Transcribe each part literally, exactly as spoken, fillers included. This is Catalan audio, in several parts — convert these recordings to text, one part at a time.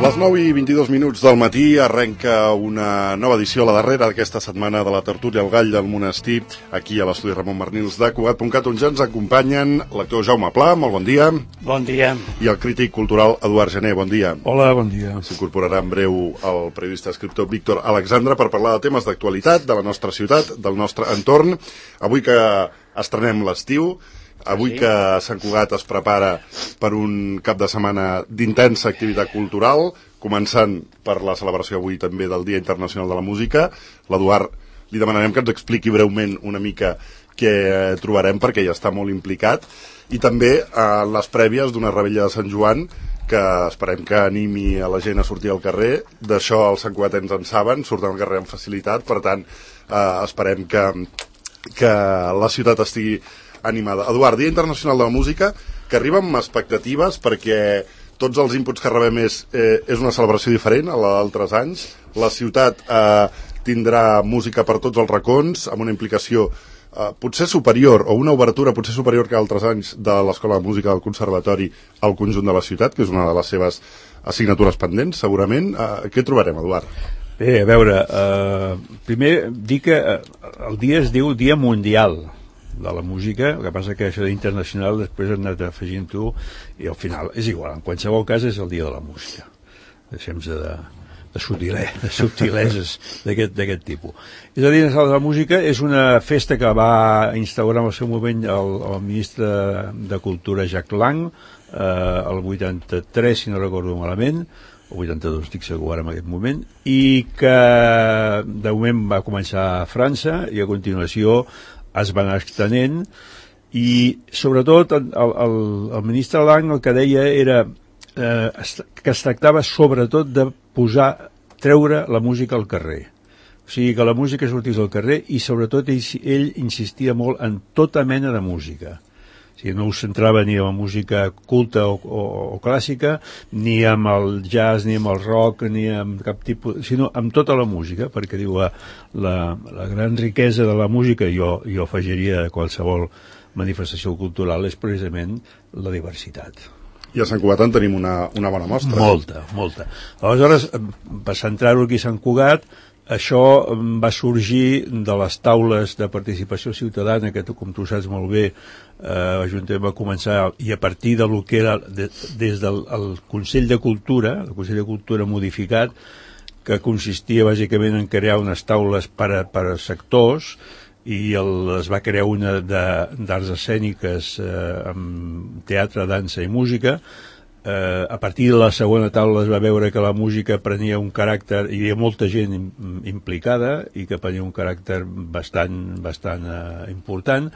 Les nou i vint-i-dos minuts del matí arrenca una nova edició, la darrera d'aquesta setmana, de la tertúlia El Gall del Monestir, aquí a l'estudi Ramon Marnils de Cugat punt cat, on ja ens acompanyen l'actor Jaume Pla, molt bon dia. Bon dia. I el crític cultural Eduard Gené, bon dia. Hola, bon dia. S'incorporarà en breu el periodista escriptor Víctor Alexandre per parlar de temes d'actualitat, de la nostra ciutat, del nostre entorn. Avui que estrenem l'estiu, avui que Sant Cugat es prepara per un cap de setmana d'intensa activitat cultural, començant per la celebració avui també del Dia Internacional de la Música. L'Eduard li demanarem que ens expliqui breument una mica què trobarem, perquè ja està molt implicat, i també eh, les prèvies d'una revetlla de Sant Joan que esperem que animi a la gent a sortir al carrer. D'això els santcugatens en saben, surten al carrer amb facilitat, per tant eh, esperem que, que la ciutat estigui animada. Eduard, Dia Internacional de la Música, que arriba amb expectatives perquè tots els inputs que rebem és, eh, és una celebració diferent a la d'altres anys. La ciutat eh, tindrà música per tots els racons, amb una implicació eh, potser superior, o una obertura potser superior que altres anys de l'Escola de Música del Conservatori al conjunt de la ciutat, que és una de les seves assignatures pendents, segurament. Eh, què trobarem, Eduard? Bé, a veure, eh, primer dir que el dia es diu Dia Mundial de la Música, el que passa que això d'internacional després hem anat afegint tu, i al final és igual, en qualsevol cas és el Dia de la Música. Deixem-nos de, de, subtilè, de subtileses d'aquest tipus. És a dir, la música és una festa que va instaurar en el seu moment el, el ministre de Cultura Jacques Lang, eh, el vuitanta-tres, si no recordo malament, o vuitanta-dos, estic segur ara en aquest moment, i que de moment va començar a França i a continuació es van extenent, i sobretot el, el, el ministre Lang el que deia era eh, que es tractava sobretot de posar, treure la música al carrer, o sigui que la música sortís al carrer, i sobretot ell, ell insistia molt en tota mena de música. O sigui, no us centrava ni en la música culta o, o, o clàssica, ni amb el jazz, ni amb el rock, ni amb cap tipus, sinó amb tota la música, perquè diu la, la, la gran riquesa de la música, jo, jo afegiria a qualsevol manifestació cultural, és precisament la diversitat. I a Sant Cugat en tenim una, una bona mostra. Molta, molta. Aleshores, per centrar-ho aquí a Sant Cugat, això va sorgir de les taules de participació ciutadana que, com tu saps molt bé, eh, l'Ajuntament va començar, i a partir de lo que era de, des del el Consell de Cultura, el Consell de Cultura modificat, que consistia bàsicament en crear unes taules per a, per a sectors, i el, es va crear una d'arts escèniques eh, amb teatre, dansa i música. Eh, a partir de la segona taula es va veure que la música prenia un caràcter, hi havia molta gent implicada i que prenia un caràcter bastant, bastant eh, important,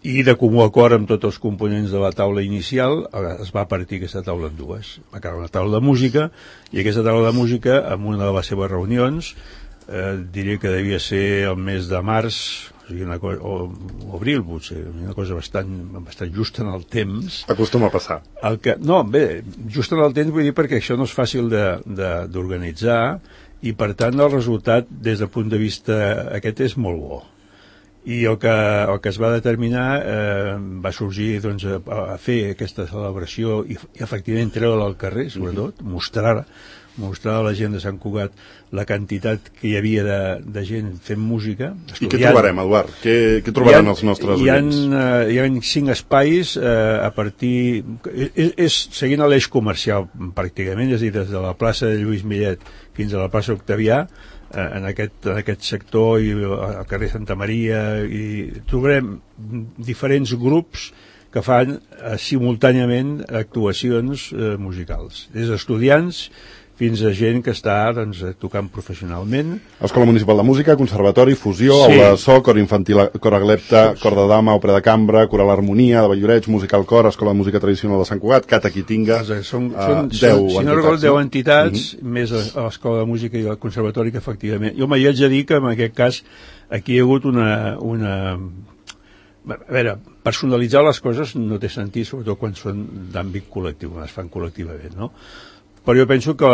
i de comú acord amb tots els components de la taula inicial es va partir aquesta taula en dues. Va quedar una taula de música, i aquesta taula de música, en una de les seves reunions, eh, diria que devia ser el mes de març, o sigui, una cosa, o, o abril potser, una cosa bastant, bastant justa en el temps. Acostuma a passar. El que, no, bé, just en el temps vull dir perquè això no és fàcil d'organitzar, i per tant el resultat des del punt de vista aquest és molt bo. I el que, el que es va determinar eh, va sorgir doncs, a, a fer aquesta celebració i, i efectivament treure-la al carrer, sobretot, mm-hmm. mostrar mostrar a la gent de Sant Cugat la quantitat que hi havia de, de gent fent música. I què trobarem, Eduard? Què, què trobaran ha, els nostres hi ha, oients? Uh, hi ha cinc espais eh, a partir... És, és seguint l'eix comercial, pràcticament, és a dir, des de la plaça de Lluís Millet fins a la plaça Octavià, eh, en, aquest, en aquest sector, i al carrer Santa Maria, i trobarem diferents grups que fan eh, simultàniament actuacions eh, musicals. Des d'estudiants fins a gent que està doncs, tocant professionalment. Escola Municipal de Música, Conservatori, Fusió, sí. Aula de So, Cor Infantil, Cor Aglepta, Cor de Dama, Òpera de Cambra, Coral Harmonia, de Valloreig, Musical Cor, Escola de Música Tradicional de Sant Cugat, Cata Quitinga, són, uh, són, deu si no recordo, deu entitats, mm-hmm. més a l'Escola de Música i el Conservatori, que efectivament... Jo m'hi haig de dir que en aquest cas aquí hi ha hagut una... una a veure, personalitzar les coses no té sentit, sobretot quan són d'àmbit col·lectiu, quan es fan col·lectivament, no? Però jo penso que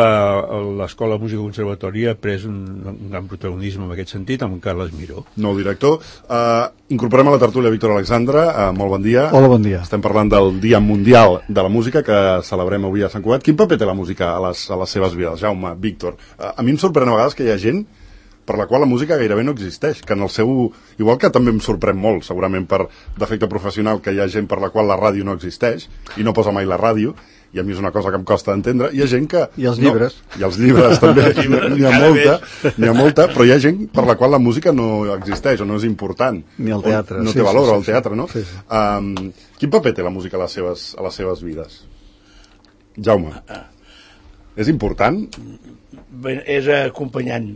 l'Escola de Música Conservatori ha pres un, un gran protagonisme en aquest sentit amb Carles Miró. Nou director. Uh, incorporem a la tertúlia Víctor Alexandre. Uh, molt bon dia. Hola, bon dia. Estem parlant del Dia Mundial de la Música que celebrem avui a Sant Cugat. Quin paper té la música a les, a les seves vides? Jaume, Víctor. Uh, a mi em sorprèn a vegades que hi ha gent per la qual la música gairebé no existeix, que en el seu... Igual que també em sorprèn molt, segurament per defecte professional, que hi ha gent per la qual la ràdio no existeix i no posa mai la ràdio, i a mi és una cosa que em costa d'entendre. Hi ha gent que... I els llibres. No, i els llibres també, n'hi ha molta, n'hi ha molta, però hi ha gent per la qual la música no existeix o no és important. Ni el teatre. No sí, té valor sí, sí, al teatre, no? Sí, sí. Um, quin paper té la música a les seves, a les seves vides? Jaume. És important? Bé, és acompanyant.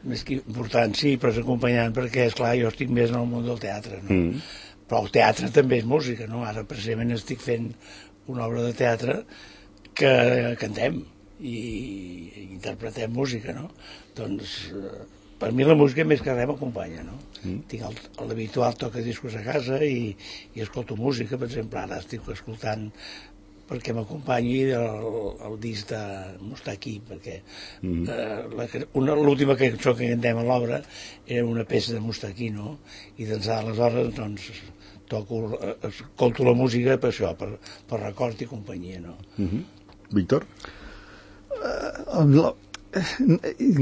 Més que important, sí, però és acompanyant perquè, esclar, jo estic més en el món del teatre, no? Mm. Però el teatre també és música, no? Ara, precisament, estic fent una obra de teatre que cantem i, i interpretem música, no? Doncs, per mi la música més que res m'acompanya, no? Mm. Tinc l'habitual toca discos a casa i, i escolto música, per exemple, ara estic escoltant perquè m'acompanyi el, el disc de Moustaki, perquè mm. eh, l'última cançó que cantem a l'obra era una peça de Moustaki, no? I d'ençà d'aleshores, doncs, toco, escolto la música per això, per, per record i companyia, no? Mm-hmm. Víctor? Uh,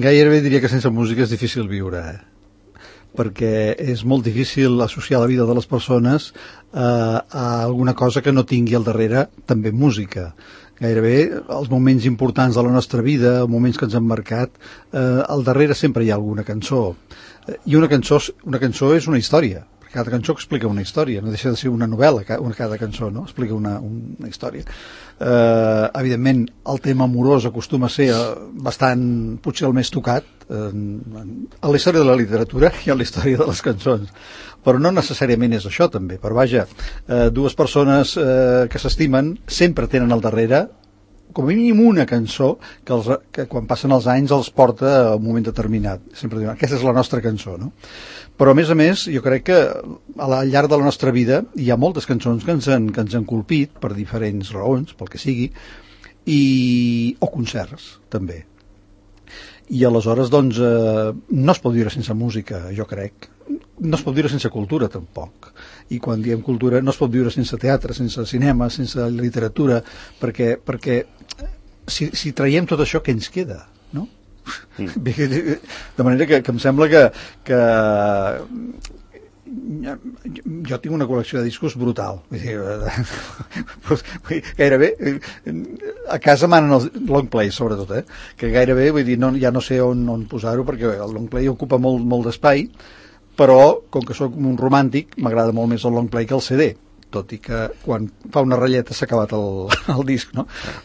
gairebé diria que sense música és difícil viure, eh? perquè és molt difícil associar la vida de les persones eh, a alguna cosa que no tingui al darrere també música. Gairebé els moments importants de la nostra vida, els moments que ens han marcat, eh, al darrere sempre hi ha alguna cançó. I una cançó, una cançó és una història. Cada cançó explica una història, no deixa de ser una novel·la, una, cada cançó, no? Explica una, una història. Eh, evidentment, el tema amorós acostuma a ser bastant, potser el més tocat, eh, a la història de la literatura i a la història de les cançons. Però no necessàriament és això, també. Però vaja, eh, dues persones eh, que s'estimen sempre tenen al darrere com a mínim una cançó que, els, que quan passen els anys els porta a un moment determinat. Sempre diuen, aquesta és la nostra cançó, no? Però, a més a més, jo crec que al llarg de la nostra vida hi ha moltes cançons que ens han, que ens han colpit per diferents raons, pel que sigui, i, o concerts, també. I aleshores, doncs, eh, no es pot viure sense música, jo crec. No es pot viure sense cultura, tampoc. I quan diem cultura, no es pot viure sense teatre, sense cinema, sense literatura, perquè, perquè si, si traiem tot això, què ens queda, no? Mm. De manera que, que em sembla que, que jo tinc una col·lecció de discos brutal. Vull dir, gairebé a casa manen els long play, sobretot, eh? Que gairebé, vull dir, no, ja no sé on, on posar-ho, perquè el long play ocupa molt, molt d'espai, però, com que sóc un romàntic, m'agrada molt més el long play que el C D, tot i que quan fa una ratlleta s'ha acabat el, el disc, no?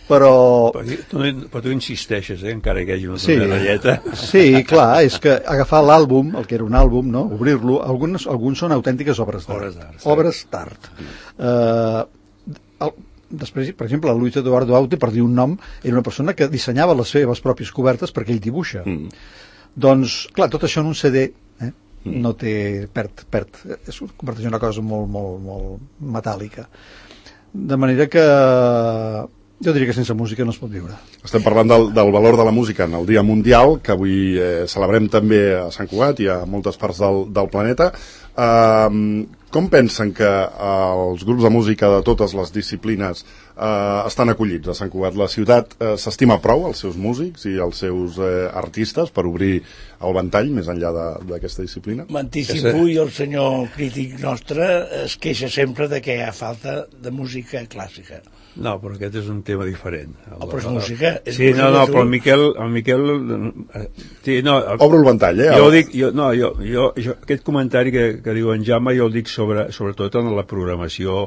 Però... Però tu, però tu insisteixes, eh? Encara que hi hagi una sí, ratlleta. Sí, clar, és que agafar l'àlbum, el que era un àlbum, no? Obrir-lo, alguns, alguns són autèntiques obres d'art. Obres d'art. Uh, el, després, per exemple, el Luis Eduardo Aute, per dir un nom, era una persona que dissenyava les seves pròpies cobertes perquè ell dibuixa. Mm. Doncs, clar, tot això en un C D, eh? No té, perd, perd, es converteix en una cosa molt, molt, molt metàl·lica. De manera que jo diria que sense música no es pot viure. Estem parlant del, del valor de la música en el Dia Mundial, que avui eh, celebrem també a Sant Cugat i a moltes parts del, del planeta. Uh, com pensen que uh, els grups de música de totes les disciplines uh, estan acollits a Sant Cugat? La ciutat uh, s'estima prou els seus músics i els seus uh, artistes per obrir el ventall més enllà d'aquesta disciplina? M'anticipo, i el senyor crític nostre es queixa sempre de que hi ha falta de música clàssica. No, però aquest és un tema diferent. Oh, però és música. És sí, música no, no, però el Miquel... El Miquel sí, no, el, Obro el ventall, eh? Jo dic, jo, no, jo, jo, jo, aquest comentari que, que diu en Jaume jo el dic sobre, sobretot en la programació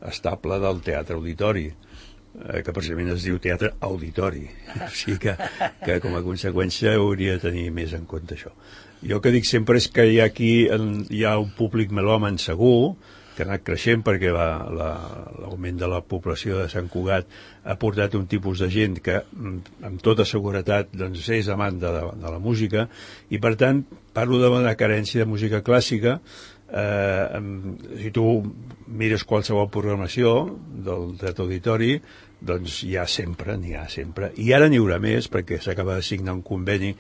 estable del teatre auditori, eh, que precisament es diu teatre auditori. O sigui que, que com a conseqüència hauria de tenir més en compte això. Jo el que dic sempre és que hi ha aquí hi ha un públic melòman segur, que ha anat creixent perquè l'augment la, de la població de Sant Cugat ha portat un tipus de gent que amb tota seguretat doncs, és amant de la, de la música, i per tant parlo d'una carència de música clàssica. Eh, si tu mires qualsevol programació del dret auditori, doncs hi ha sempre, n'hi ha sempre. I ara n'hi haurà més, perquè s'acaba de signar un conveni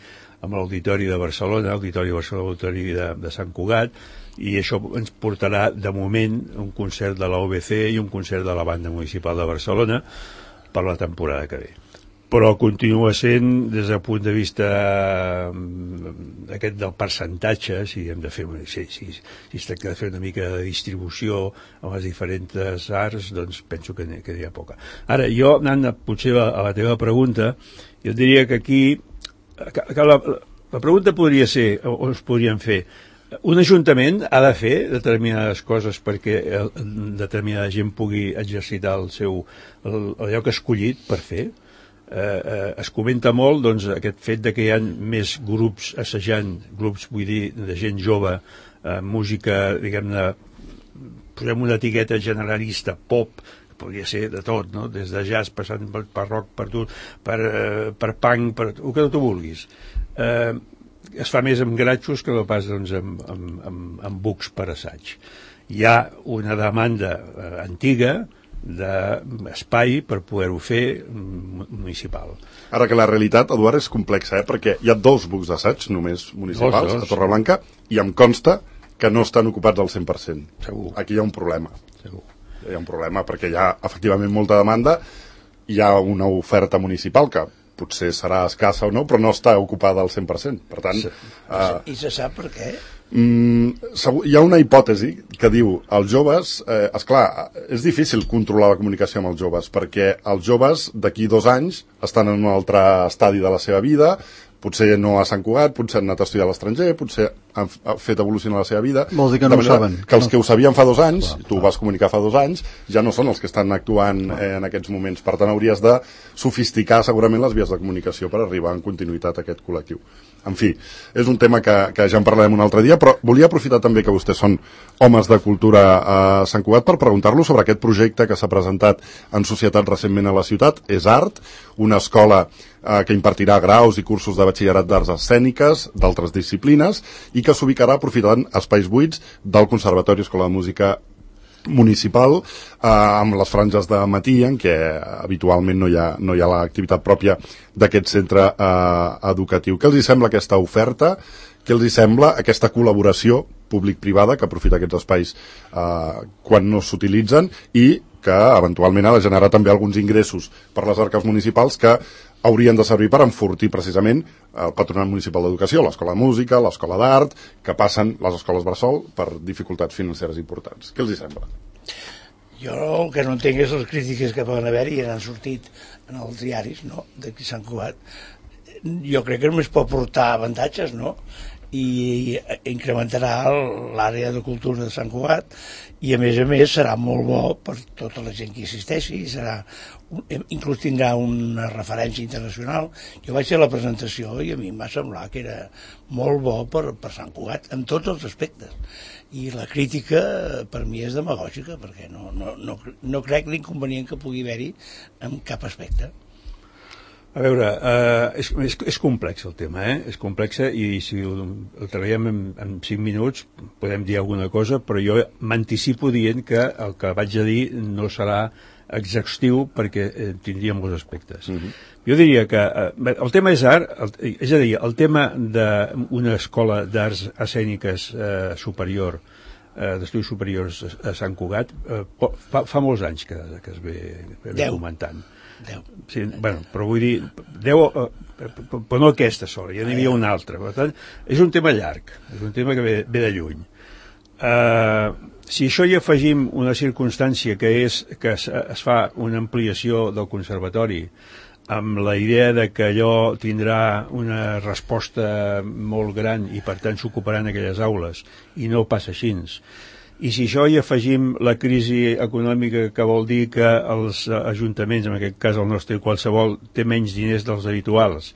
amb l'Auditori de Barcelona, l'Auditori de Barcelona, l'Auditori de, de Sant Cugat, i això ens portarà, de moment, un concert de l'A O B C i un concert de la Banda Municipal de Barcelona per la temporada que ve. Però continua sent, des del punt de vista aquest del percentatge, si hem de fer una, si, si, si es tracta de fer una mica de distribució amb les diferents arts, doncs penso que n'hi, que n'hi ha poca. Ara, jo, anant potser a la teva pregunta, jo diria que aquí que, que la, la pregunta podria ser, o es podrien fer, un ajuntament ha de fer determinades coses perquè determinada gent pugui exercitar el seu, el, el lloc escollit per fer. Eh, eh, es comenta molt, doncs, aquest fet de que hi ha més grups assajant, grups, vull dir, de gent jove, eh, música, diguem-ne, posem una etiqueta generalista, pop, que podria ser de tot, no? Des de jazz, passant per, per rock, per, tu, per, eh, per punk, per el que tu vulguis. Eh, es fa més amb gratxos que no pas, doncs, amb, amb, amb, amb bucs per assaig. Hi ha una demanda eh, antiga d'espai per poder-ho fer municipal. Ara que la realitat, Eduard, és complexa, eh? Perquè hi ha dos bucs d'assaig només municipals dos, dos. a Torreblanca i em consta que no estan ocupats al cent per cent. Segur. Aquí hi ha un problema. Segur. Hi ha un problema perquè hi ha efectivament molta demanda, hi ha una oferta municipal que potser serà escassa o no, però no està ocupada al cent per cent. Per tant... Sí. Uh, I se sap per què? Mm, hi ha una hipòtesi que diu els joves, eh, esclar, és difícil controlar la comunicació amb els joves perquè els joves d'aquí dos anys estan en un altre estadi de la seva vida, potser no a Sant Cugat, potser han anat a estudiar a l'estranger, potser han fet evolucionar la seva vida. Vol dir que no ho saben. Que els que ho sabien fa dos anys, clar, tu ho vas comunicar fa dos anys, ja no són els que estan actuant eh, en aquests moments. Per tant, hauries de sofisticar segurament les vies de comunicació per arribar en continuïtat a aquest col·lectiu. En fi, és un tema que, que ja en parlarem un altre dia, però volia aprofitar també que vostès són homes de cultura a Sant Cugat per preguntar-lo sobre aquest projecte que s'ha presentat en societat recentment a la ciutat. És Art, una escola eh, que impartirà graus i cursos de batxillerat d'arts escèniques, d'altres disciplines, i que s'ubicarà aprofitant espais buits del Conservatori Escola de Música municipal, eh, amb les franges de matí en què habitualment no hi ha, no hi ha l'activitat pròpia d'aquest centre eh, educatiu. Què els hi sembla aquesta oferta? Què els hi sembla aquesta col·laboració públic-privada que aprofita aquests espais eh, quan no s'utilitzen i que eventualment ha de generar també alguns ingressos per les arques municipals que haurien de servir per enfortir precisament el Patronat Municipal d'Educació, l'Escola de Música, l'Escola d'Art, que passen les escoles bressol per dificultats financeres importants. Què els hi sembla? Jo el que no entenc és les crítiques que poden haver-hi i han sortit en els diaris, no?, d'aquí Sant Cugat. Jo crec que només pot portar avantatges, no?, i incrementarà l'àrea de cultura de Sant Cugat i a més a més serà molt bo per tota la gent que hi assisteixi, serà, inclús tindrà una referència internacional. Jo vaig fer la presentació i a mi em va semblar que era molt bo per, per Sant Cugat en tots els aspectes, i la crítica per mi és demagògica perquè no, no, no, no crec l'inconvenient que pugui haver-hi en cap aspecte. A veure, eh, és, és, és complex el tema, eh? És complex i si el, el treballem en, en cinc minuts podem dir alguna cosa, però jo m'anticipo dient que el que vaig a dir no serà exhaustiu perquè eh, tindria molts aspectes. Uh-huh. Jo diria que eh, el tema és art, el, és a dir, el tema d'una escola d'arts escèniques eh, superior, eh, d'estudis superiors a Sant Cugat, eh, fa, fa molts anys que, que es ve, ve comentant. Deu. Sí, bueno, però vull dir, deu, eh, però no aquesta sola, ja n'hi havia una altra. Per tant, és un tema llarg, és un tema que ve, ve de lluny. Eh, si això hi afegim una circumstància que és que es, es fa una ampliació del conservatori amb la idea de que allò tindrà una resposta molt gran i per tant s'ocuparan aquelles aules, i no passa així. I si això hi afegim la crisi econòmica, que vol dir que els ajuntaments, en aquest cas el nostre qualsevol, té menys diners dels habituals,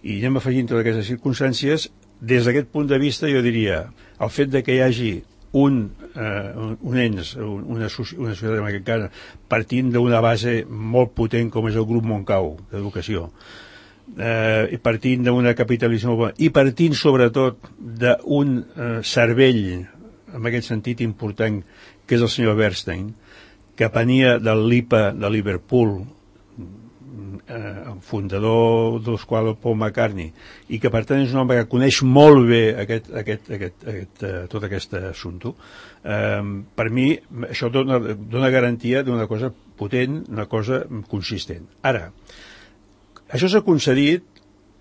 i anem afegint totes aquestes circumstàncies, des d'aquest punt de vista jo diria, el fet de que hi hagi un, eh, un ens, una, una societat en aquest cas, partint d'una base molt potent com és el grup Montcau d'Educació, eh, partint d'una capitalització, i partint sobretot d'un eh, cervell en aquest sentit important, que és el senyor Bernstein, que venia del L I P A de Liverpool, eh, fundador dels quals el Paul McCartney, i que per tant és un home que coneix molt bé aquest, aquest, aquest, aquest, eh, tot aquest assumpte. Eh, per mi això dona, dona garantia d'una cosa potent, una cosa consistent. Ara, això s'ha concedit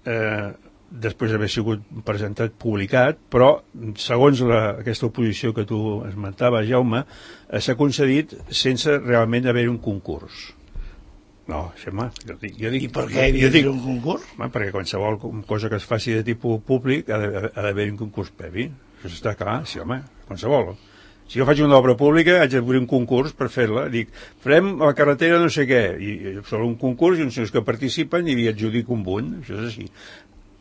eh, després d'haver sigut presentat, publicat, però segons la, aquesta oposició que tu esmentaves, Jaume, eh, s'ha concedit sense realment haver un concurs. No, Xema, jo dic... Jo dic I per què hi havia dic, un concurs? Home, perquè qualsevol cosa que es faci de tipus públic ha d'haver un concurs previ. Això està clar, sí, home, qualsevol. Si jo faig una obra pública, haig d'obrir un concurs per fer-la. Dic, farem a la carretera no sé què, i sobre un concurs i uns senyors que participen i li adjudico un punt, això és així.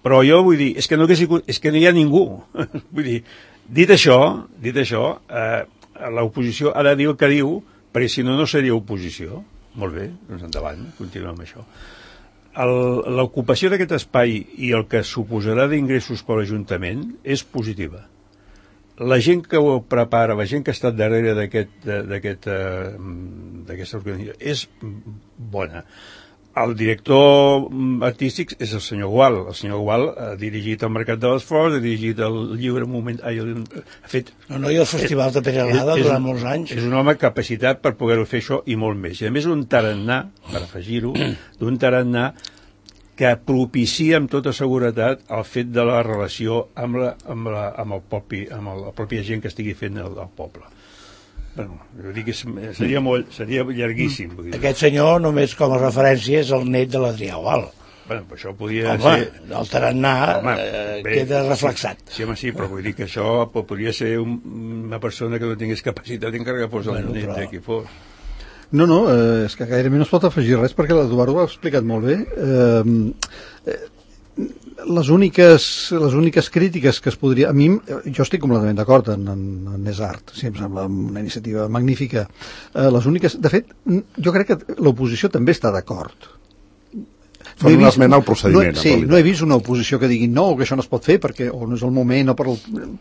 Però jo vull dir, és que no, és que no hi ha ningú. Vull dir, dit això, dit això, eh, l'oposició ha de dir el que diu, perquè si no, no seria oposició. Molt bé, doncs endavant, continuem amb això. L'ocupació d'aquest espai i el que suposarà d'ingressos per l'Ajuntament és positiva. La gent que ho prepara, la gent que ha estat darrere d'aquesta organització és bona. El director artístic és el senyor Gual. El senyor Gual ha dirigit el Mercat de l'Esforç, ha dirigit el Lliure Moment... Ai, ha fet... No, no, i el Festival de Peralada durant molts anys. És un home capacitat per poder-ho fer això i molt més. I a més un tarannà, per afegir-ho, d'un tarannà que propicia amb tota seguretat el fet de la relació amb, la, amb, la, amb, el, propi, amb el, la pròpia gent que estigui fent el, el poble. Bueno, jo dic que seria, molt, seria llarguíssim. Aquest senyor, només com a referència, és el net de l'Adrià Gual. Bueno, això podia home, ser... el tarannà home, eh, bé, queda reflexat. Sí, home, sí, però vull dir que això podria ser un, una persona que no tingués capacitat encara que fos el bueno, net però... de qui fos. No, no, eh, és que gairebé no es pot afegir res perquè l'Eduardo ho ha explicat molt bé. Eh, eh, les úniques, les úniques crítiques que es podria... A mi, jo estic completament d'acord en, en, en És Art, sí, em sembla una iniciativa magnífica. Eh, les úniques... De fet, jo crec que l'oposició també està d'acord. Fan no una esmena al procediment. No, sí, no he vist una oposició que digui no, que això no es pot fer perquè o no és el moment o per,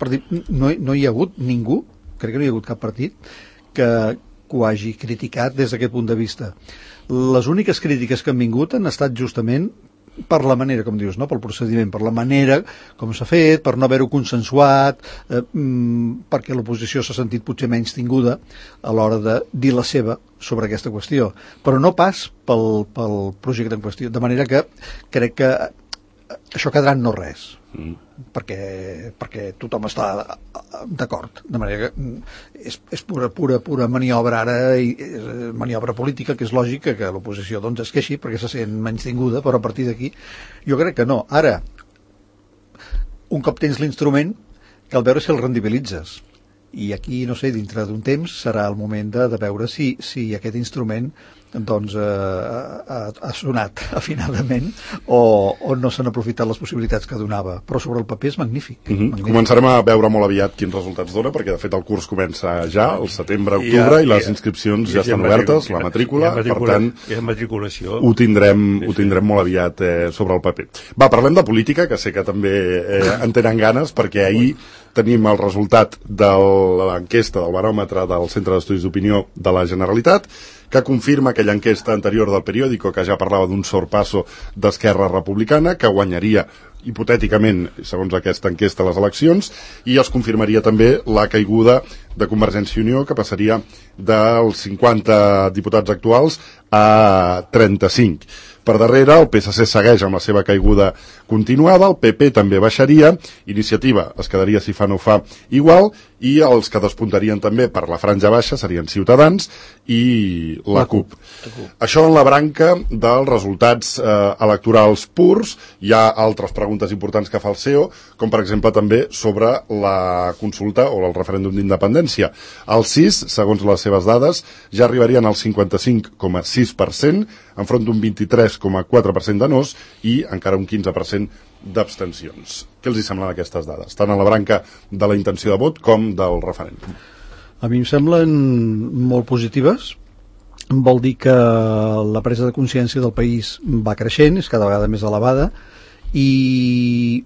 per dir... No, no hi ha hagut ningú, crec que no hi ha hagut cap partit, que, que ho hagi criticat des d'aquest punt de vista. Les úniques crítiques que han vingut han estat justament per la manera, com dius, no? Pel procediment, per la manera com s'ha fet, per no haver-ho consensuat, eh, perquè l'oposició s'ha sentit potser menys tinguda a l'hora de dir la seva sobre aquesta qüestió, però no pas pel, pel projecte en qüestió, de manera que crec que això quedarà en no res, mm. perquè, perquè tothom està d'acord, de manera que és, és pura, pura, pura maniobra ara, i, maniobra política, que és lògic que l'oposició doncs es queixi perquè se sent menys tinguda, però a partir d'aquí jo crec que no. Ara, un cop tens l'instrument, cal veure si el rendibilitzes, i aquí, no sé, dintre d'un temps serà el moment de, de veure si, si aquest instrument doncs eh, ha, ha sonat afinadament o, o no s'han aprofitat les possibilitats que donava, però sobre el paper és magnífic, mm-hmm. magnífic. Començarem a veure molt aviat quins resultats dona, perquè de fet el curs comença ja el setembre, octubre, i, i les inscripcions ja, ja estan obertes, la matrícula, per tant ho tindrem, ho tindrem molt aviat eh, sobre el paper. Va, parlem de política, que sé que també eh, en tenen ganes, perquè ahir tenim el resultat de l'enquesta del baròmetre del Centre d'Estudis d'Opinió de la Generalitat, que confirma aquella enquesta anterior del periòdico que ja parlava d'un sorpasso d'Esquerra Republicana, que guanyaria hipotèticament, segons aquesta enquesta, les eleccions, i es confirmaria també la caiguda de Convergència i Unió, que passaria dels cinquanta diputats actuals a trenta-cinc. Per darrere, el P S C segueix amb la seva caiguda continuada, el P P també baixaria, Iniciativa es quedaria si fa no fa igual, i els que despuntarien també per la franja baixa serien Ciutadans i la, la CUP. CUP. Això en la branca dels resultats eh, electorals purs. Hi ha altres preguntes importants que fa el C E O, com per exemple també sobre la consulta o el referèndum d'independència. Els sis, segons les seves dades, ja arribarien al cinquanta-cinc coma sis per cent, enfront d'un vint-i-tres coma quatre per cent de nos i encara un quinze per cent d'abstencions. Què els hi semblen aquestes dades, tant a la branca de la intenció de vot com del referèndum? A mi em semblen molt positives. Vol dir que la presa de consciència del país va creixent, és cada vegada més elevada, i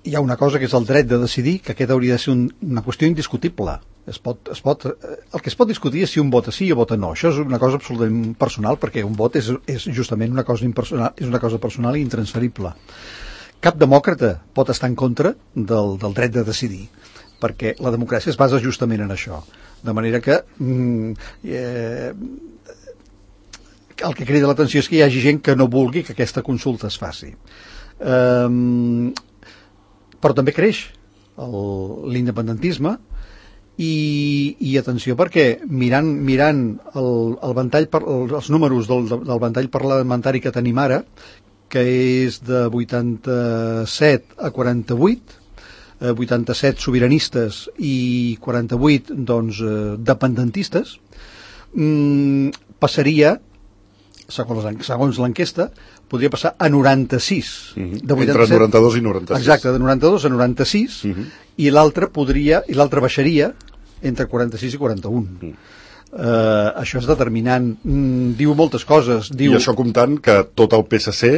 hi ha una cosa que és el dret de decidir, que aquest hauria de ser un, una qüestió indiscutible. Es pot, es pot, el que es pot discutir és si un vota sí o vota no. Això és una cosa absolutament personal, perquè un vot és, és justament una cosa impersonal, és una cosa personal i intransferible. Cap demòcrata pot estar en contra del, del dret de decidir, perquè la democràcia es basa justament en això. De manera que mm, eh, el que crida l'atenció és que hi hagi gent que no vulgui que aquesta consulta es faci. Um, però també creix l'independentisme i, i atenció, perquè mirant, mirant el, el ventall per, els números del, del ventall parlamentari que tenim ara, que és de vuitanta-set a quaranta-vuit, eh, vuitanta-set sobiranistes i quaranta-vuit doncs, eh, dependentistes, mm, passaria, segons l'enquesta, podria passar a noranta-sis. Mm-hmm. De vuitanta-set, entre noranta-dos i noranta-sis. Exacte, de noranta-dos a noranta-sis, mm-hmm. i l'altre podria, i l'altre baixaria entre quaranta-sis i quaranta-un. Mm. Uh, això és determinant. Mm, diu moltes coses. Diu... I això comptant que tot el P S C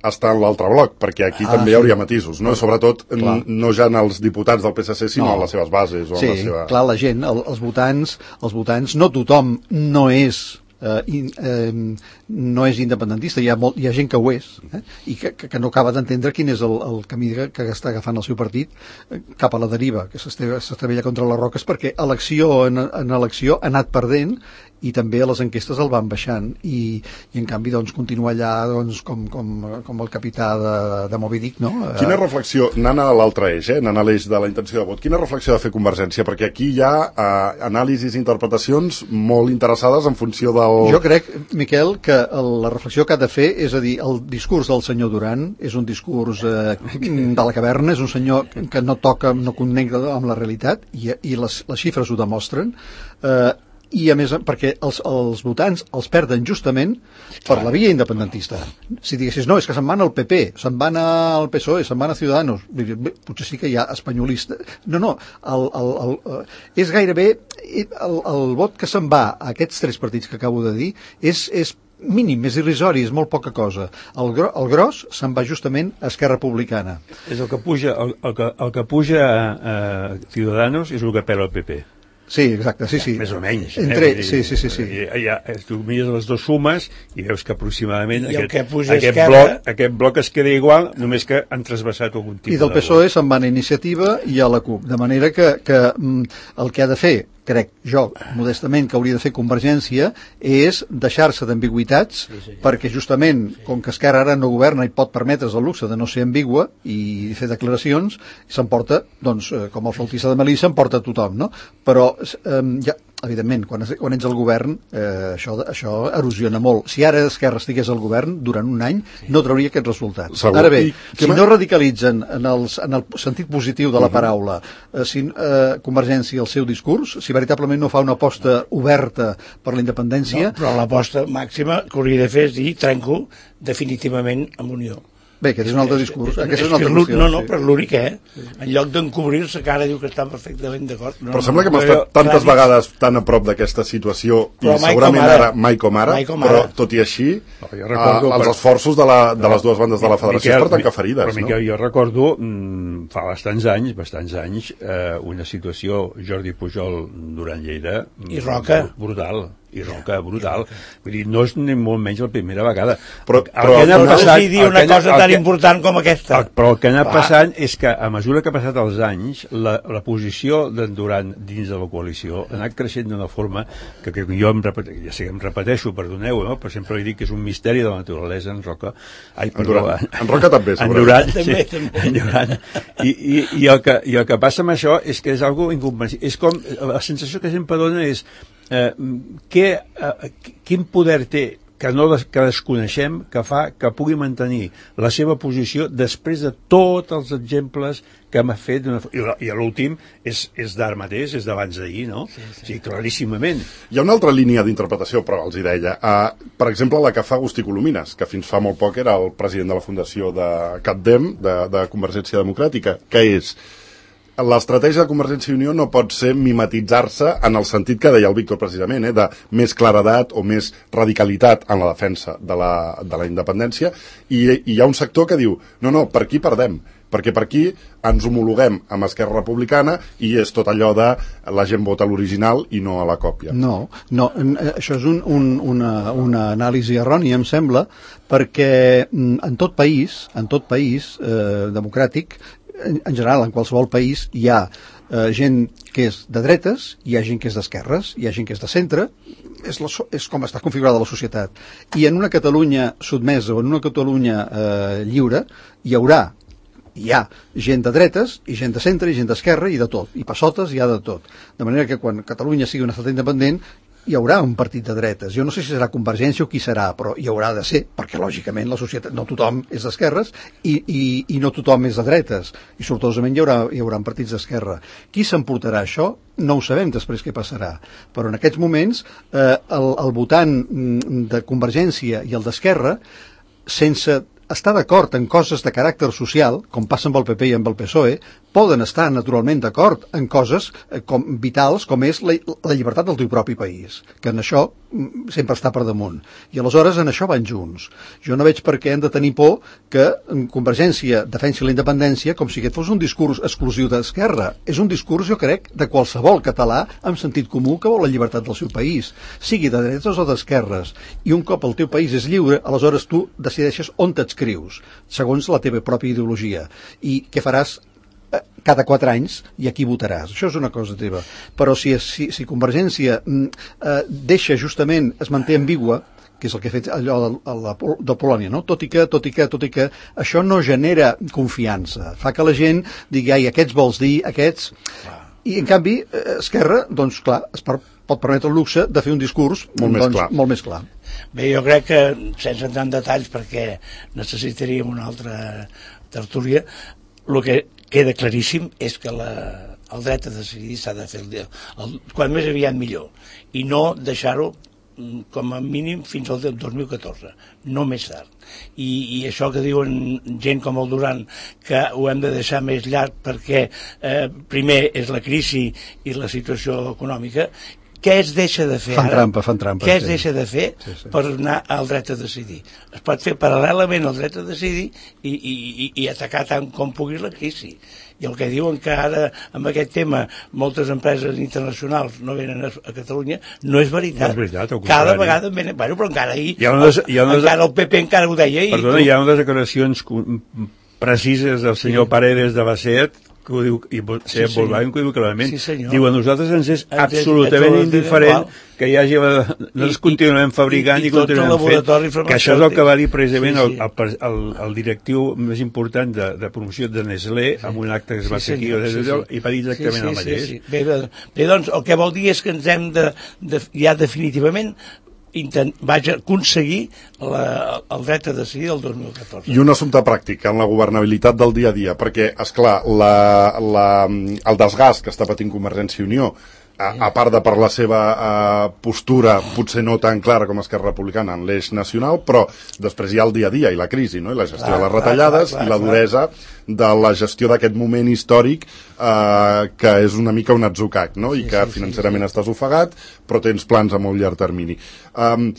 està en l'altre bloc, perquè aquí ah, també hi hauria matisos, no? Sobretot clar. No ja en els diputats del P S C, sinó no. en les seves bases. O sí, en la seva... clar, la gent, el, els votants, els votants, no tothom no és Uh, in, uh, no és independentista, hi ha, molt, hi ha gent que ho és, eh? I que, que, que no acaba d'entendre quin és el, el camí que, que està agafant el seu partit eh, cap a la deriva, que s'estavella contra les roques, perquè elecció en, en elecció ha anat perdent i també a les enquestes el van baixant i, i en canvi doncs continua allà doncs, com, com, com el capità de, de Moby Dick, no? Quina reflexió, anant a l'altre eix, eh? anant a l'eix de la intenció de vot, quina reflexió ha de fer Convergència? Perquè aquí hi ha eh, anàlisis i interpretacions molt interessades en funció del... Jo crec, Miquel, que el, la reflexió que ha de fer és a dir, el discurs del senyor Duran és un discurs eh, de la caverna, és un senyor que no toca, no connecta amb la realitat i, i les, les xifres ho demostren, eh, i a més perquè els, els votants els perden justament per la via independentista. Si diguessis, no, és que se'n van al P P, se'n van al P S O E, se'n van a Ciudadanos, bé, potser sí que hi ha espanyolista. No, no, el, el, el, és gairebé el, el vot que se'n va a aquests tres partits que acabo de dir és, és mínim, és irrisori, és molt poca cosa. El, gro, el gros se'n va justament a Esquerra Republicana. És el que puja, el, el que, el que puja a, a Ciudadanos és el que pela el P P. Sí, exacte, sí, sí. Més o menys. Entre, eh? Sí, sí, sí. sí. I, ja, tu mires les dues sumes i veus que aproximadament I aquest, aquest, esquerra... bloc, aquest bloc es queda igual, només que han trasbassat algun tipus de... I del P S O E se'n van a Iniciativa i a la CUP, de manera que, que el que ha de fer, crec jo, modestament, que hauria de fer Convergència, és deixar-se d'ambigüitats, sí, sí. perquè justament, sí. com que Esquerra ara no governa i pot permetre's el luxe de no ser ambigua i fer declaracions, s'emporta, doncs, com el flautista de Melissa, s'emporta tothom, no? Però, eh, ja, evidentment, quan, quan ets al govern, eh, això, això erosiona molt. Si ara Esquerra estigués al govern, durant un any, sí. no trauria aquest resultat. Segur. Ara bé, I, si no radicalitzen en, els, en el sentit positiu de la paraula, eh, si eh, Convergència el seu discurs, si veritablement no fa una aposta oberta per la independència... No, però l'aposta màxima que hauria de fer és dir trenco definitivament amb Unió. Bé, aquest és un altre discurs. És, és, és, és una altra no, qüestió, no, no, sí. però l'únic, eh? En lloc d'encobrir-se, que ara diu que estan perfectament d'acord. No, però sembla que hem estat tantes clar, vegades tan a prop d'aquesta situació i segurament ara, mai com ara, mai com ara, però tot i així, no, recordo, els per... esforços de, la, de les dues bandes de la federació Miquel, es porten que ferides. Però, Miquel, no? Jo recordo, mm, fa bastants anys, bastants anys, eh, una situació, Jordi Pujol, Duran Lleida... I Roca. Brutal. I Roca, brutal. Vull dir, no és ni molt menys la primera vegada. Però, el però, que no passat, dir una cosa tan que, important com aquesta. El, però el que ha anat passant és que, a mesura que ha passat els anys, la, la posició d'en Duran dins de la coalició ha anat creixent d'una forma que, que jo em repeteixo, ja sé que em repeteixo, perdoneu, no? Però sempre li dic que és un misteri de la naturalesa, en Roca. Ai, perdó, en, en Roca també, en Duran, sí, en Duran. I, i, i, el que, I el que passa amb això és que és algo incomprensible. És com, la sensació que sempre dona és Eh, que, eh, quin poder té que no des, que desconeixem que fa que pugui mantenir la seva posició després de tots els exemples que m'ha fet una, i, i l'últim és, és d'ara mateix, és d'abans d'ahir, no? Sí, sí. Sí, claríssimament. Hi ha una altra línia d'interpretació, però els hi deia. Uh, per exemple, la que fa Agustí Colomines, que fins fa molt poc era el president de la fundació de CatDem, de, de Convergència Democràtica, que és... L'estratègia de Convergència i Unió no pot ser mimetitzar-se en el sentit que deia el Víctor precisament, eh, de més claredat o més radicalitat en la defensa de la, de la independència, i, i hi ha un sector que diu, no, no, per aquí perdem, perquè per aquí ens homologuem amb Esquerra Republicana i és tot allò de la gent vota l'original i no a la còpia. No, no, això és un, un, una, una anàlisi errònia, em sembla, perquè en tot país, en tot país eh, democràtic, en, en general, en qualsevol país, hi ha eh, gent que és de dretes, hi ha gent que és d'esquerres, hi ha gent que és de centre, és, la, és com està configurada la societat. I en una Catalunya sotmesa o en una Catalunya eh, lliure hi haurà, hi ha gent de dretes i gent de centre i gent d'esquerra i de tot, i passotes hi ha de tot. De manera que quan Catalunya sigui un estat independent hi haurà un partit de dretes. Jo no sé si serà Convergència o qui serà, però hi haurà de ser, perquè lògicament la societat, no tothom és d'esquerres i, i, i no tothom és de dretes, i sortosament hi haurà, hi haurà partits d'esquerra. Qui s'emportarà això? No ho sabem després què passarà, però en aquests moments eh, el, el votant de Convergència i el d'Esquerra, sense estar d'acord en coses de caràcter social, com passa amb el P P i amb el P S O E, poden estar naturalment d'acord en coses eh, com, vitals com és la, la llibertat del teu propi país, que en això mm, sempre està per damunt. I aleshores en això van junts. Jo no veig per què hem de tenir por que Convergència defensi la independència com si aquest fos un discurs exclusiu d'Esquerra. És un discurs, jo crec, de qualsevol català amb sentit comú que vol la llibertat del seu país, sigui de dretes o d'esquerres. I un cop el teu país és lliure, aleshores tu decideixes on t'adscrius, segons la teva pròpia ideologia. I què faràs cada quatre anys i aquí votaràs. Això és una cosa teva. Però si, si, si Convergència eh, deixa justament, es manté ambigua, que és el que ha fet allò de, de, de Polònia, no? Tot i que, tot i que, tot i que això no genera confiança. Fa que la gent digui, ai, aquests vols dir, aquests... I, en canvi, Esquerra, doncs, clar, es per, pot permetre el luxe de fer un discurs molt, doncs, més, clar. molt més clar. Bé, jo crec que, sense entrar en detalls, perquè necessitaríem una altra tertúlia, el que queda claríssim és que la, el dret a decidir s'ha de fer el, el, quan més aviat millor, i no deixar-ho com a mínim fins al dos mil catorze, no més tard. I, i això que diuen gent com el Duran, que ho hem de deixar més llarg perquè eh, primer és la crisi i la situació econòmica. Què es deixa de fer fan ara? Trampa, fan trampa, Què es sí. deixa de fer sí, sí. per anar al dret a decidir? Es pot fer paral·lelament al dret a decidir i, i, i, i atacar tant com pugui la crisi. I el que diuen que ara, amb aquest tema, moltes empreses internacionals no venen a, a Catalunya, no és veritat. No és veritat, al cada contrari. venen, bueno, però encara ahir, Hi ha unes, hi ha unes, encara el P P encara ho deia ahir. Perdona, hi ha unes declaracions precises del senyor sí. Paredes de Bacet, que ho diu, i sí, Volkswagen, que ho diu clarament. Sí, diu, a nosaltres ens és ens absolutament és indiferent igual. Que hi hagi... Nosaltres I, continuem fabricant i, i, i continuem fent. Que això és el que va dir precisament sí, sí. El, el, el directiu més important de, de promoció de Nestlé, sí. amb un acte que es va sí, fer aquí, sí, sí. i va dir exactament sí, sí, el mateix. Sí, sí. Bé, bé, doncs, el que vol dir és que ens hem de, de ja definitivament Intent, vaig aconseguir la, el dret a decidir el dos mil catorze. I un assumpte pràctic en la governabilitat del dia a dia, perquè, esclar, la, la, el desgast que està patint Convergència i Unió, a, a part de per la seva uh, postura potser no tan clara com Esquerra Republicana en l'eix nacional, però després hi ha el dia a dia i la crisi, no? I la gestió clar, de les retallades clar, clar, clar, i la duresa de la gestió d'aquest moment històric uh, que és una mica un atzucac, no? I sí, que sí, financerament sí, sí. estàs ofegat, però tens plans a molt llarg termini. Um,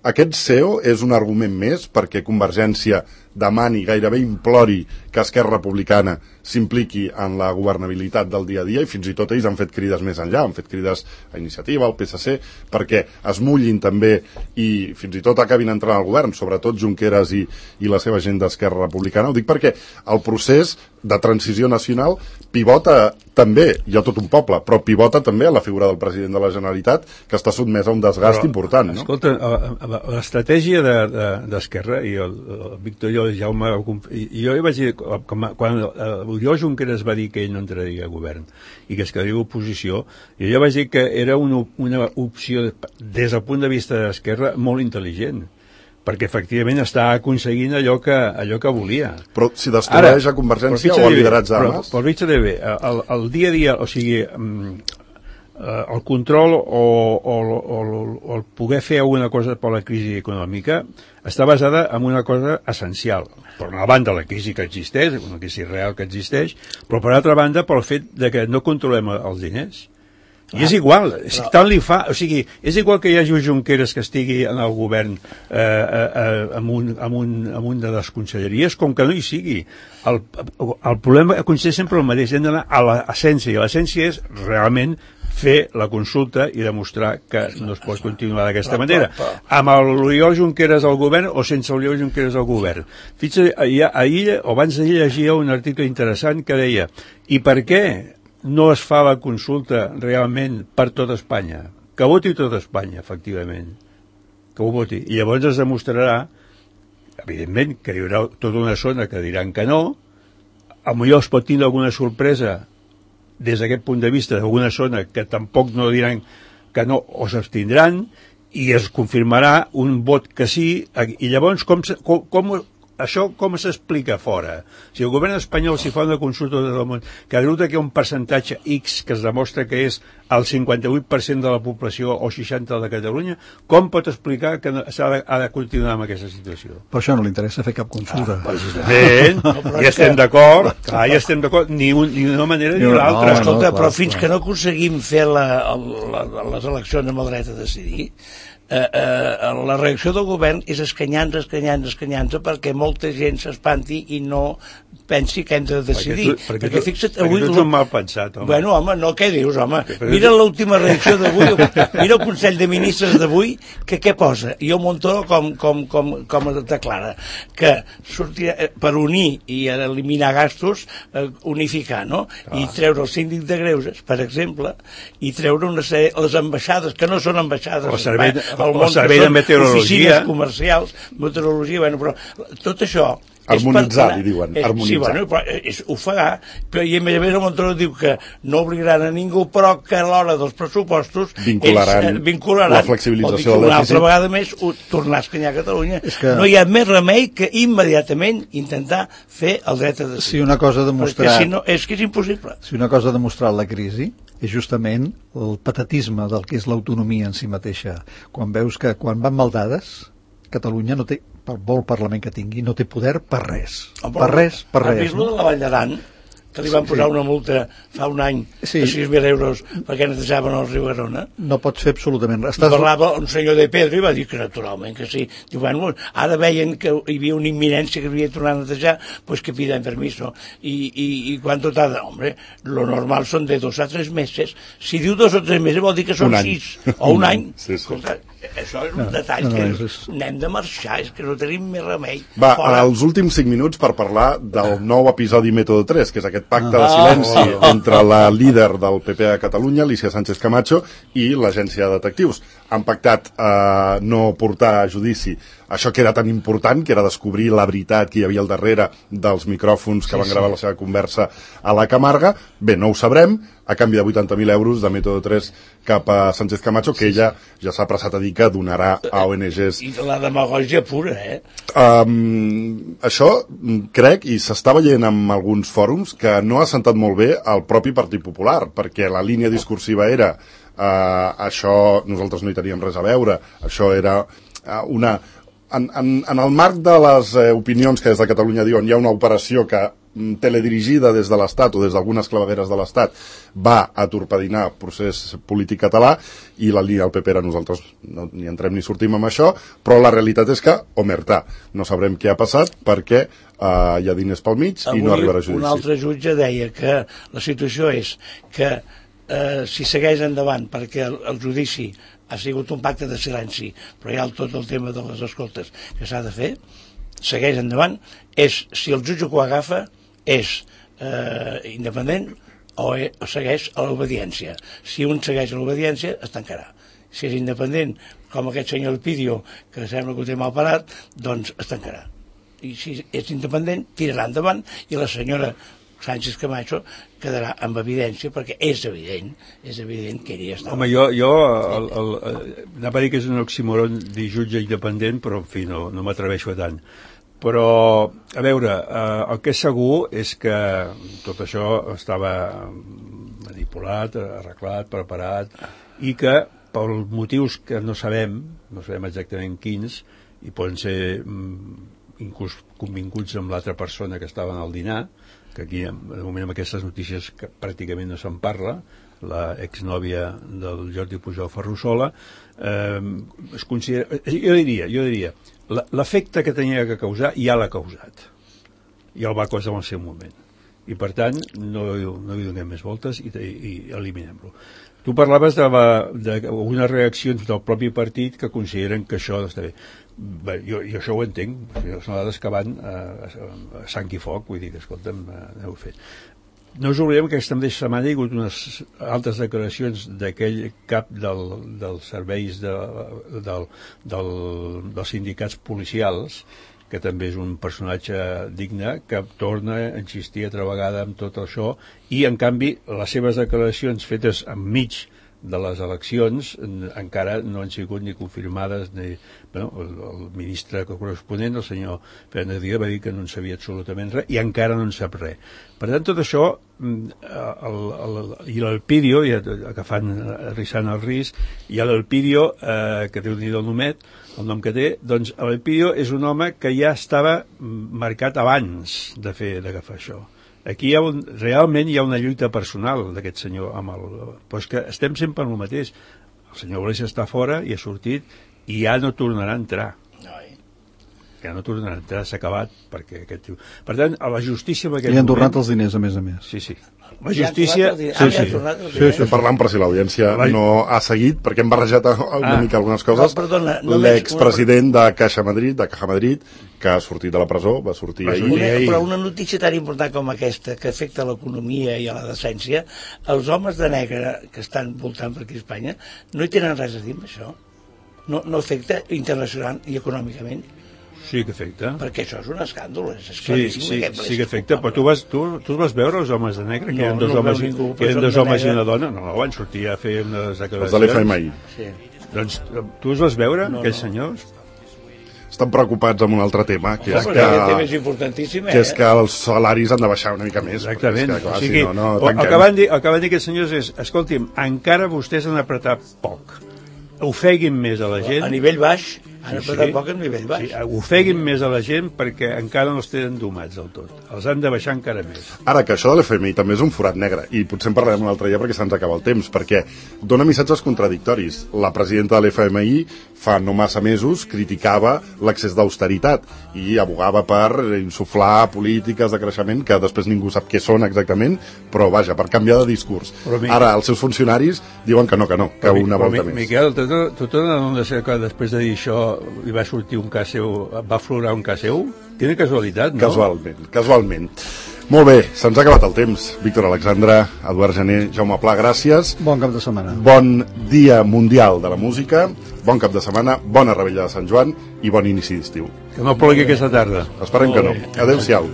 aquest C E O és un argument més perquè Convergència demani, gairebé implori que Esquerra Republicana s'impliqui en la governabilitat del dia a dia, i fins i tot ells han fet crides més enllà, han fet crides a Iniciativa, al P S C, perquè es mullin també i fins i tot acabin entrant al govern, sobretot Junqueras i, i la seva gent d'Esquerra Republicana. Ho dic perquè el procés de transició nacional pivota també, hi ha tot un poble, però pivota també a la figura del president de la Generalitat, que està sotmès a un desgast però, important. No? Escolta, l'estratègia d'Esquerra, de, de, i el, el Víctor i el Jaume, i jo hi vaig dir, com, quan l'Oriol Junqueras va dir que ell no entraria a govern i que es quedaria a oposició, i jo vaig dir que era una, una opció, des del punt de vista d'Esquerra, molt intel·ligent, perquè efectivament està aconseguint allò que, allò que volia. Però si destrueix a Convergència o a liderats d'armes? Però, però fitxa de bé, el, el dia a dia, o sigui, el control o, o, o, o el poder fer alguna cosa per la crisi econòmica està basada en una cosa essencial. Per una banda, la crisi que existeix, una crisi real que existeix, però per altra banda, pel fet de que no controlem els diners. I és igual, si tant li fa, o sigui, és igual que hi hagi un Junqueras que estigui en el govern eh, eh, amb, un, amb, un, amb un de les conselleries, com que no hi sigui. El, el problema consisteix sempre el mateix, hem d'anar a l'essència, i l'essència és realment fer la consulta i demostrar que no es pot continuar d'aquesta manera. Amb l'Oriol Junqueras al govern o sense l'Oriol Junqueras al govern. Fixa't, ahir, o abans d'ahir llegia un article interessant que deia, i per què no es fa la consulta realment per tot Espanya? Que voti tot Espanya, efectivament. Que ho voti. I llavors es demostrarà, evidentment, que hi haurà tota una zona que diran que no, potser es pot tindre alguna sorpresa des d'aquest punt de vista d'alguna zona que tampoc no diran que no o s'abstindran, i es confirmarà un vot que sí, i llavors com, com, com això com s'explica fora? Si el govern espanyol s'hi fa una consulta de tot el món, que resulta que hi ha un percentatge X que es demostra que és el cinquanta-vuit per cent de la població o seixanta per cent de Catalunya, com pot explicar que s'ha de, ha de continuar amb aquesta situació? Per això no li interessa fer cap consulta. Ah, precisament, no, i estem d'acord, clar, i estem d'acord, ni, un, ni una manera ni una altra. No, escolta, no, però fins clar. que no aconseguim fer la, la, les eleccions amb el dret a decidir, Eh, eh, la reacció del govern és escanyant-se, escanyant-se, escanyant-se perquè molta gent s'espanti i no pensi que hem de decidir. Perquè, tu, perquè, perquè tu, fixa't, perquè avui... tu ets un mal pensat, home. Bueno, home, no, què dius, home? Mira l'última reacció d'avui, mira el Consell de Ministres d'avui, que què posa? I el Montoro com, com, com, com declara? Que sortirà, per unir i eliminar gastos, eh, unificar, no? Ah. I treure el síndic de greuges, per exemple, i treure una sèrie, les ambaixades, que no són ambaixades... O servei, el món, o servei de meteorologia. Oficines comercials, meteorologia, bueno, però tot això... Harmonitzar, li diuen, és, harmonitzar. Sí, bueno, però és ofegar, però i a més a més el Montoro diu que no obligaran a ningú, però que a l'hora dels pressupostos vincularan, ells, eh, vincularan la flexibilització del dèficit. Una altra vegada més uh, tornar a escanyar Catalunya. Que... No hi ha més remei que immediatament intentar fer el dret a decidir. Si una cosa ha demostrat... Perquè si no, és que és impossible. Si una cosa ha demostrat la crisi és justament el patatisme del que és l'autonomia en si mateixa. Quan veus que quan van mal dades, Catalunya no té, per molt Parlament que tingui, no té poder per res. Oh, per res, per res. Has vist no? de la Vall d'Aran? Que li van posar sí. una multa fa un any sí. de sis mil euros perquè netejaven el riu Garona. No pots fer absolutament res. Estàs... parlava un senyor de Pedro i va dir que naturalment que sí. Diu, bueno, ara veien que hi havia una imminència que havia de tornar a netejar, pues que piden permiso. I, i, i ¿cuánto tarda? Hombre, lo normal són de dos a tres mesos. Si diu dos o tres mesos vol dir que són sis o un any. Sí, sí. Escolta, això és un no, detall no, no, que és... n'hem de marxar, és que no tenim més remei. Va, fora. Els últims cinc minuts per parlar del nou episodi Método tres, que és aquest pacte ah, de silenci oh, oh. entre la líder del P P a Catalunya, Alicia Sánchez Camacho, i l'agència de detectius. Han pactat eh, no portar a judici això que era tan important, que era descobrir la veritat que hi havia al darrere dels micròfons que sí, van gravar sí. la seva conversa a la Camarga. Bé, no ho sabrem, a canvi de vuitanta mil euros de Método tres cap a Sánchez Camacho, que ella ja s'ha apressat a dir que donarà a O N Ges. I la demagògia pura, eh? Um, això, crec, i s'està veient en alguns fòrums, que no ha sentat molt bé al propi Partit Popular, perquè la línia discursiva era uh, això, nosaltres no hi teníem res a veure, això era uh, una... En, en, en el marc de les eh, opinions que des de Catalunya diuen hi ha una operació que mm, teledirigida des de l'Estat o des d'algunes clavegueres de l'Estat va a torpedinar el procés polític català, i la línia del P P era nosaltres no, ni entrem ni sortim amb això, però la realitat és que, omertà, no sabrem què ha passat perquè eh, hi ha diners pel mig i no arribarà a judici. Un altre jutge deia que la situació és que eh, si segueix endavant perquè el, el judici ha sigut un pacte de silenci, però hi ha tot el tema de les escoltes que s'ha de fer, segueix endavant, és, si el jutge que ho agafa és eh, independent o, e, o segueix a l'obediència. Si un segueix a l'obediència, es tancarà. Si és independent, com aquest senyor Pidio, que sembla que ho té mal parat, doncs es tancarà. I si és independent, tirarà endavant, i la senyora Sánchez Camacho quedarà amb evidència, perquè és evident, és evident que ella ja està... Home, jo, jo el, el, el, anava a dir que és un oxímoron dir jutge independent, però en fi, no, no m'atreveixo a tant. Però, a veure, eh, el que és segur és que tot això estava manipulat, arreglat, preparat, i que per motius que no sabem, no sabem exactament quins, i poden ser mm, inclús convinguts amb l'altra persona que estava al dinar, que aquí, de moment, amb aquestes notícies que pràcticament no se'n parla, la exnòvia del Jordi Pujol Ferrusola, eh, es considera, jo diria, jo diria l'efecte que tenia que causar ja l'ha causat, ja el va causar en el seu moment, i per tant no, no hi donem més voltes i, i, i eliminem-lo. Tu parlaves d'unes reaccions del propi partit que consideren que això està bé. Bé, jo, jo això ho entenc, són dades que van a, a, a sang i foc, vull dir que, escolta'm, aneu fet. No us oblidem que aquesta mateixa setmana hi ha hagut unes altres declaracions d'aquell cap del, dels serveis de, del, del, dels sindicats policials, que també és un personatge digne, que torna a insistir altra vegada en tot això, i en canvi les seves declaracions fetes enmig de les eleccions encara no han sigut ni confirmades ni, bueno, el, el ministre corresponent, el senyor Fernández Díaz, va dir que no en sabia absolutament res i encara no en sap res. Per tant, tot això el, el, i l'Elpidio, ja agafant, arrissant el risc, i l'Elpidio, eh, que té un dit del nomet, el nom que té, doncs l'Elpidio és un home que ja estava marcat abans de fer d'agafar això. Aquí hi ha un, realment hi ha una lluita personal d'aquest senyor amb el... Però és que estem sempre en el mateix. El senyor Iglesias està fora i ha sortit i ja no tornarà a entrar. Ja no tornarà a entrar, s'ha acabat, perquè aquest tio... Per tant, a la justícia... Li han tornat els diners, a més a més. Sí, sí. La justícia... Sí, sí. sí, sí. Parlant per si l'audiència no ha seguit, perquè hem barrejat una ah. mica algunes coses. No, perdona, l'expresident de Caixa Madrid, de Caja Madrid, que ha sortit de la presó, va sortir va ahir. Una, però una notícia tan important com aquesta, que afecta l'economia i a la decència, els homes de negre que estan voltant per aquí a Espanya no hi tenen res a dir amb això. No, no afecta internacional i econòmicament. Sí que afecta. Perquè això és un escàndol, és sí, sí, sí que afecta, però tu vas, tu, tu vas veure els homes de negre, que no, eren dos no homes, ningú, que eren dos homes i una dona, no, no, van sortir a fer unes declaracions. Els de l'F M I. Sí. Doncs tu els vas veure, no, aquells no. senyors? Estan preocupats amb un altre tema, que no, és que, tema és importantíssim, eh? que és que els salaris han de baixar una mica més. Exactament. Que, clar, o sigui, si no, no el, que van dir, el que van dir aquests senyors és, escolti'm, encara vostès han apretat poc. Ofeguin més a la gent. A nivell baix, han sí, apretat sí. poc a nivell baix. Sí, ofeguin més a la gent perquè encara no els tenen domats del tot. Els han de baixar encara més. Ara, que això de l'F M I també és un forat negre, i potser en parlarem un altre dia perquè se'ns acaba el temps, perquè dona missatges contradictoris. La presidenta de l'F M I fa no massa mesos criticava l'excés d'austeritat i abogava per insuflar polítiques de creixement que després ningú sap què són exactament, però vaja, per canviar de discurs. Però, ara, els seus funcionaris diuen que no, que no, que però, una volta però, més. Miquel, tu, tu, tu no de ser que després de dir això hi va sortir un cas seu, va aflorar un cas seu? Quina casualitat, no? Casualment, casualment. Molt bé, se'ns ha acabat el temps. Víctor Alexandre, Eduard Gené, Jaume Pla, gràcies. Bon cap de setmana. Bon dia mundial de la música, bon cap de setmana, bona revetlla de Sant Joan i bon inici d'estiu. Que no plogui aquesta tarda. Esperem que no. Adéu-siau.